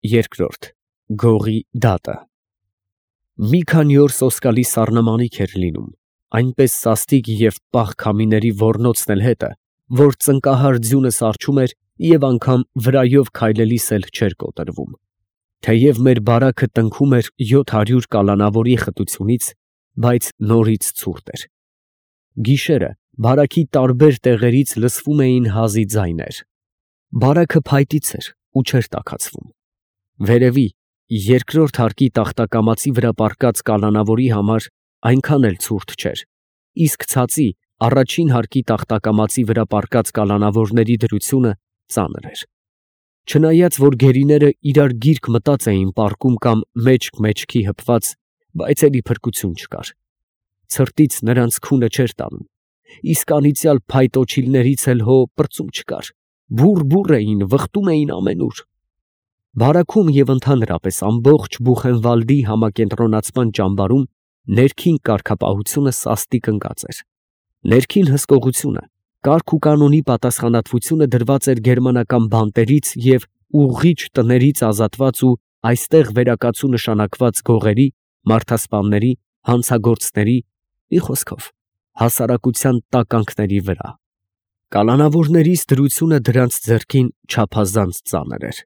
Երկրորդ Գողի դատը Մի քանի օր սոսկալի սառնամանիք էր լինում, այնպես սաստիկ և պաղ քամիների ոռնոցն էլ հետը, որ ծնկահար ձյունը սառչում էր և անգամ վրայով քայլելիս էլ չէր կոտրվում. թեև մեր բարաքը տնքում էր 700 կալանավորի խտությունից, բայց նորից ցուրտ էր. գիշերը բարաքի տարբեր տեղերից լսվում էին հազի ձայներ. բարաքը փայտից էր ու չէր տաքացվում. վերևի երկրորդ հարկի տախտակամածի վրա պառկած կալանավորի համար այնքան էլ ցուրտ չէր, իսկ ցածի առաջին հարկի տախտակամածի վրա պառկած կալանավորների դրությունը ծանր էր. չնայած որ գերիները իրար գիրկ մտած էին պառկում կամ մեջք մեջքի հպված, բայց էլի փրկություն չկար. ցրտից նրանց քունը չէր տանում, իսկ անիծյալ փայտոջիլներից էլ հո պրծում չկար, բուռ էին, վխտում էին ամենուր. բարաքում և ընդհանրապես ամբողջ Բուխենվալդի համակենտրոնացման ճամբարում ներքին կարգապահությունը սաստիկ ընկած էր. ներքին հսկողությունը, կարգ ու կանոնի պատասխանատվությունը դրված էր գերմանական բանտերից և ուղղիչ տներից ազատված ու այստեղ վերակացու նշանակված գողերի, մարդասպանների, հանցագործների, մի խոսքով, հասարակության տականքների վրա. կալանավորներից դրությունը դրանց ձեռքին չափազանց ծանր էր.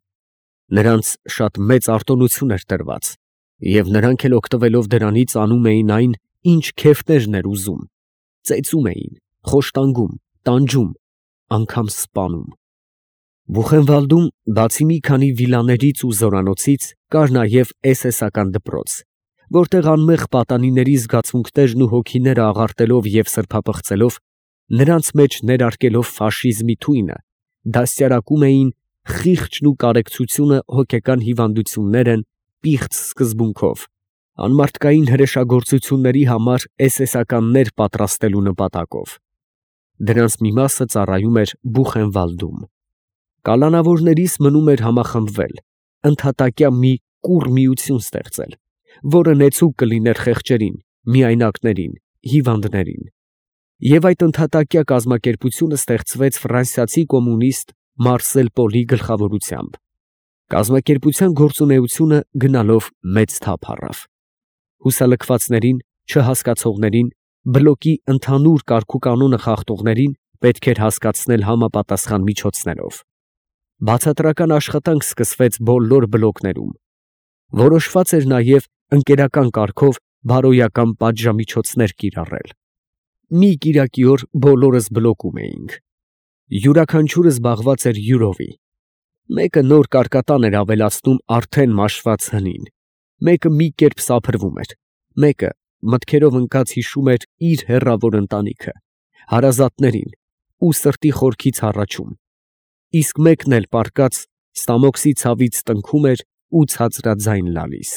նրանց շատ մեծ արտոնություն էր տրված, և նրանք էլ օգտվելով դրանից անում էին այն, ինչ քեֆներն էր ուզում, ծեծում էին, խոշտանգում, տանջում, անգամ սպանում. Բուխենվալդում, բացի մի քանի վիլաներից ու զորանոցից, կար նաև էսեսական դպրոց, որտեղ անմեղ պատանիների զգացմունքներն ու հոգիները աղարտելով և սրբապղծելով, նրանց մեջ ներարկելով ֆաշիզմի թույնը, դաստիարակում էին խիղճն ու կարեկցությունը հոգեկան հիվանդություններ են, պիղծ սկզբունքով, անմարդկային հրեշագործությունների համար էսեսականներ պատրաստելու նպատակով. դրանց մի մասը ծառայում էր Բուխենվալդում. կալանավորներիս մնում էր համախմբվել, ընդհատակյա մի կուռ միություն ստեղծել, որը նեցուկ կլիներ խեղճերին, միայնակներին, հիվանդներին. և այդ ընդհատակյա կազմակերպությունը ստեղծվեց ֆրանսիացի կոմունիստ Մարսել Պոլի գլխավորությամբ. կազմակերպության գործունեությունը գնալով մեծ թափ առավ. հուսալքվածներին, չհասկացողներին, բլոկի ընդհանուր կարգուկանոնը խախտողներին պետք էր հասկացնել համապատասխան միջոցներով. բացատրական աշխատանք սկսվեց բոլոր բլոկներում. որոշված էր նաև ընկերական կարգով բարոյական պատժամիջոցներ կիրառել. մի կիրակի օր բոլորս բլոկում էինք. յուրաքանչյուրը զբաղված էր յուրովի. մեկը նոր կարկատան էր ավելացնում արդեն մաշված հնին, մեկը մի կերպ սափրվում էր, մեկը մտքերով ընկած հիշում էր իր հեռավոր ընտանիքը, հարազատներին ու սրտի խորքից հառաչում, իսկ մեկն էլ պառկած ստամոքսի ցավից տնքում էր ու ցածրաձայն լալիս.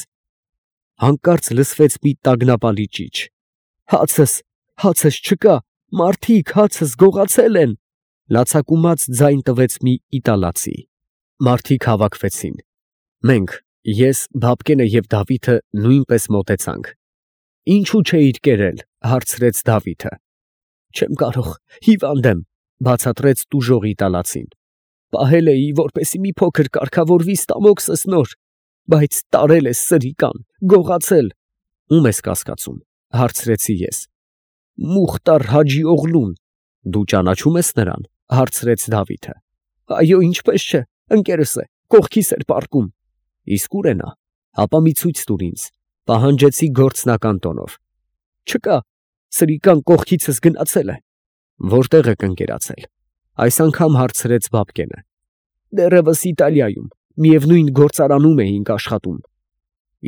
հանկարծ լսվեց մի տագնապալի ճիչ. հացս չկա, մարդիկ, հացս գողացել են, լացակումած ձայն տվեց մի իտալացի. մարդիկ հավաքվեցին. մենք, ես, Բաբկենը և Դավիթը նույնպես մոտեցանք. ինչու չէիր կերել, հարցրեց Դավիթը. չեմ կարող, հիվանդ եմ, բացատրեց տուժող իտալացին. պահել էի, որպեսզի մի փոքր կարգավորվի ստամոքսս նոր, բայց տարել ես սրիկան, գողացել. ում ես կասկածում, հարցրեցի ես. Մուխտար Հաջի Օղլուն. դու ճանաչում ես նրան, հարցրեց Դավիթը. այո, ինչպես չէ, ընկերս է, կողքիս էր պառկում. իսկ ուր է նա, հապա մի ցույց տուր ինձ, պահանջեցի գործնական տոնով. չկա, սրիկան կողքիցս գնացել է. որտեղ եք ընկերացել, այս անգամ հարցրեց Բաբկենը. դեռևս Իտալիայում, միևնույն գործարանում էինք աշխատում.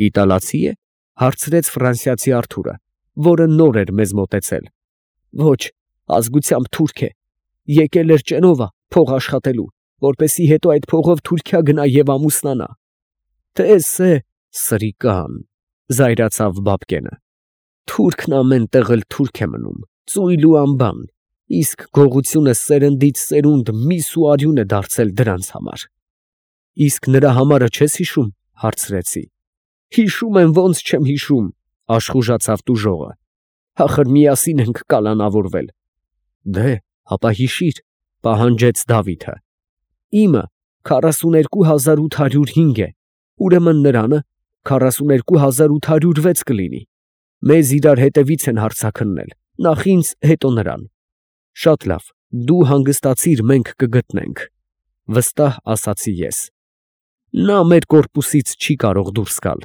իտալացի է, հարցրեց ֆրանսիացի Արթուրը, որը նոր էր մեզ մոտեցել. ոչ, ազգությամբ թուրք է, եկել էր Ճենովա փող աշխատելու, որպեսզի հետո այդ փողով Թուրքիա գնա և ամուսնանա. Տես է, սրիկան, զայրացավ Բաբկենը. թուրքն ամեն տեղ էլ թուրք է մնում, ծույլ ու անբան, իսկ գողությունը սերնդից սերունդ միս ու արյուն է դարձել դրանց համար. իսկ նրա համարը չես հիշում, հարցրեցի. հիշում եմ, ոնց չեմ հիշում, աշխուժացավ տուժողը. ախր միասին ենք կալանավորվել. դե, հապա հիշիր, պահանջեց Դավիթը. իմը 42805 է, ուրեմն նրանը 42,806 կլինի։ Մեզ իրար հետևից են հարցաքննել, նախ ինձ, հետո նրան։ Շատ լավ, դու հանգստացիր, մենք կգտնենք, վստահ ասացի ես։ Նա մեր կորպուսից չի կարող դուրս գալ։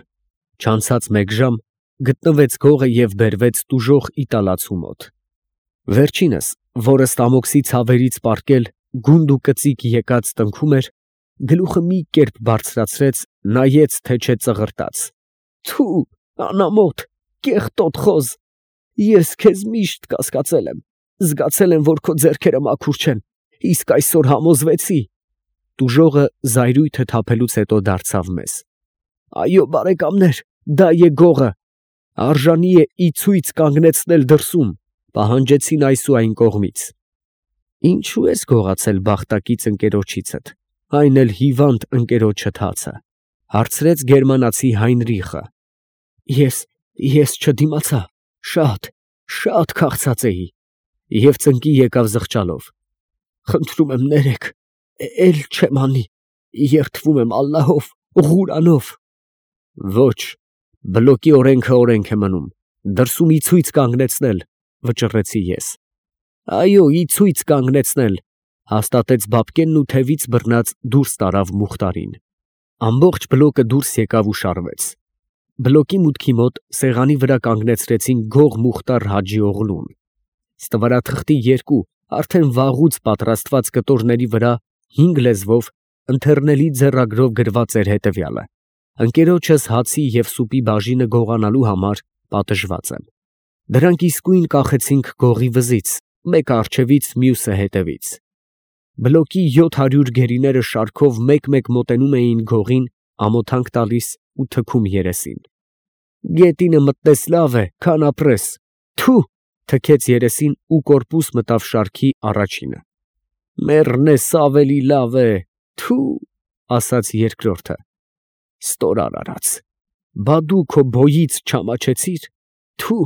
Չանցած մեկ ժամ գտնվեց գողը և բերվեց տուժող իտալացու մոտ։ Վերջինս, որը ստամոքսի ցավերից պառկել գունդ ու կծիկ եկած տնքում էր, գլուխը մի կերպ բարձրացրեց, նայեց, թե չէ ծղրտաց։ Թու, անամոթ, կեղտոտ խոզ, ես քեզ միշտ կասկածել եմ, զգացել եմ, որ քո ձեռքերը մաքուր չեն, իսկ այսօր համոզվեցի։ Տուժողը զայրույթը թափելուց հետո դարձավ մեզ. Այո, բարեկամներ, դա է գողը, արժանի է ի ցույց կանգնեցնել դրսում, պահանջեցին այս ու այն կողմից։ Ինչու ես գողացել բախտակից ընկերոջիցդ, այն էլ հիվանդ ընկերոջդ հացը, հարցրեց գերմանացի Հայնրիխը։ Ես չդիմացա, շատ քաղցած էի, և ծնկի եկավ զղջալով։ Խնդրում եմ ներեք, էլ չեմ անի, երդվում եմ ալլահով, Ղուրանով։ Ոչ, բլոկի օրենքը օրենք է մնում, դրսում ի ցույց կանգնեցնել, վճռեցի ես։ Այո, ի ցույց կանգնեցնել, հաստատեց Բաբկենն ու թևից բռնած դուրս տարավ Մուխտարին։ Ամբողջ բլոկը դուրս եկավ ու շարվեց։ Բլոկի մուտքի մոտ սեղանի վրա կանգնեցրեցին գող Մուխտար Հաջի օղլուն։ Ստվարաթղթի երկու արդեն վաղուց պատրաստված կտորների վրա 5 լեզվով ընթեռնելի ձեռագրով գրված էր հետևյալը. ընկերոջս հացի և սուպի բաժինը գողանալու համար պատժված եմ։ Դրանք իսկույն կախեցինք գողի վզից, մեկը առջևից, մյուսը հետևից։ Բլոկի 700 գերիները շարքով մեկ-մեկ մոտենում էին գողին, ամոթանք տալիս ու թքում երեսին։ Գետինը մտնես լավ է, քան ապրես, թու, թքեց երեսին ու կորպուս մտավ շարքի առաջինը։ Մեռնես ավելի լավ է, թու, ասաց երկրորդը։ Ստորար արած, բա դու քո բոյից չամաչեցիր, թու,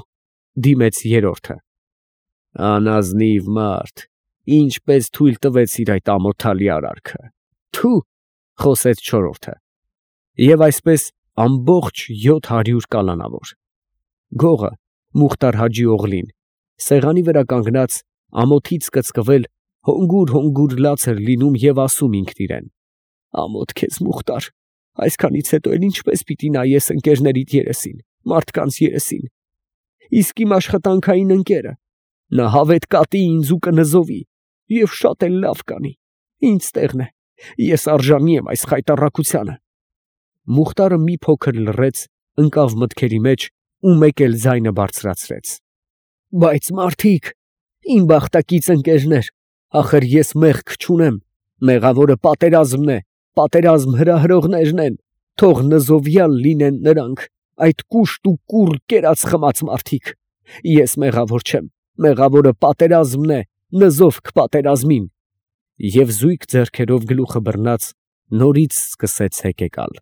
դիմեց երրորդը։ Անազնիվ մարդ, ինչպես թույլ տվեցիր այդ ամոթալի արարքը, թու, խոսեց չորրորդը։ Եվ այսպես ամբողջ 700 կալանավոր։ Գողը, Մուխտար Հաջի օղլին, սեղանի վրա կանգնած, ամոթից կծկվել, հոնգուր լաց էր լինում և ասում ինքն իրեն. ամոթ քեզ Մուխտար, այսքանից հետո էլ ինչպես պիտի նայես ընկերներիդ երեսին, մարդկանց երեսին, իսկ իմ աշխատանքային ընկերը, նա հավետ կատի ինձ ու կնզովի, և շատ էլ լավ կանի, ինձ տեղն է, ես արժանի եմ այս խայտառակությանը։ Մուխտարը մի փոքր լռեց, ընկավ մտքերի մեջ ու մեկ էլ ձայնը բարձրացրեց. Բայց մարդիկ, իմ բախտակից ընկերներ, ախր ես մեղք չունեմ, մեղավորը պատերազմն է, պատերազմ հրահրողներն են, թող նզովյալ լինեն նրանք, այդ կուշտ ու կուռ կերած խմած մարդիկ։ Ես մեղավոր չեմ, մեղավորը պատերազմն է, նզով կպատերազմին։ Եվ զույգ ձեռքերով գլուխը բռնած նորից սկսեց հեկեկալ։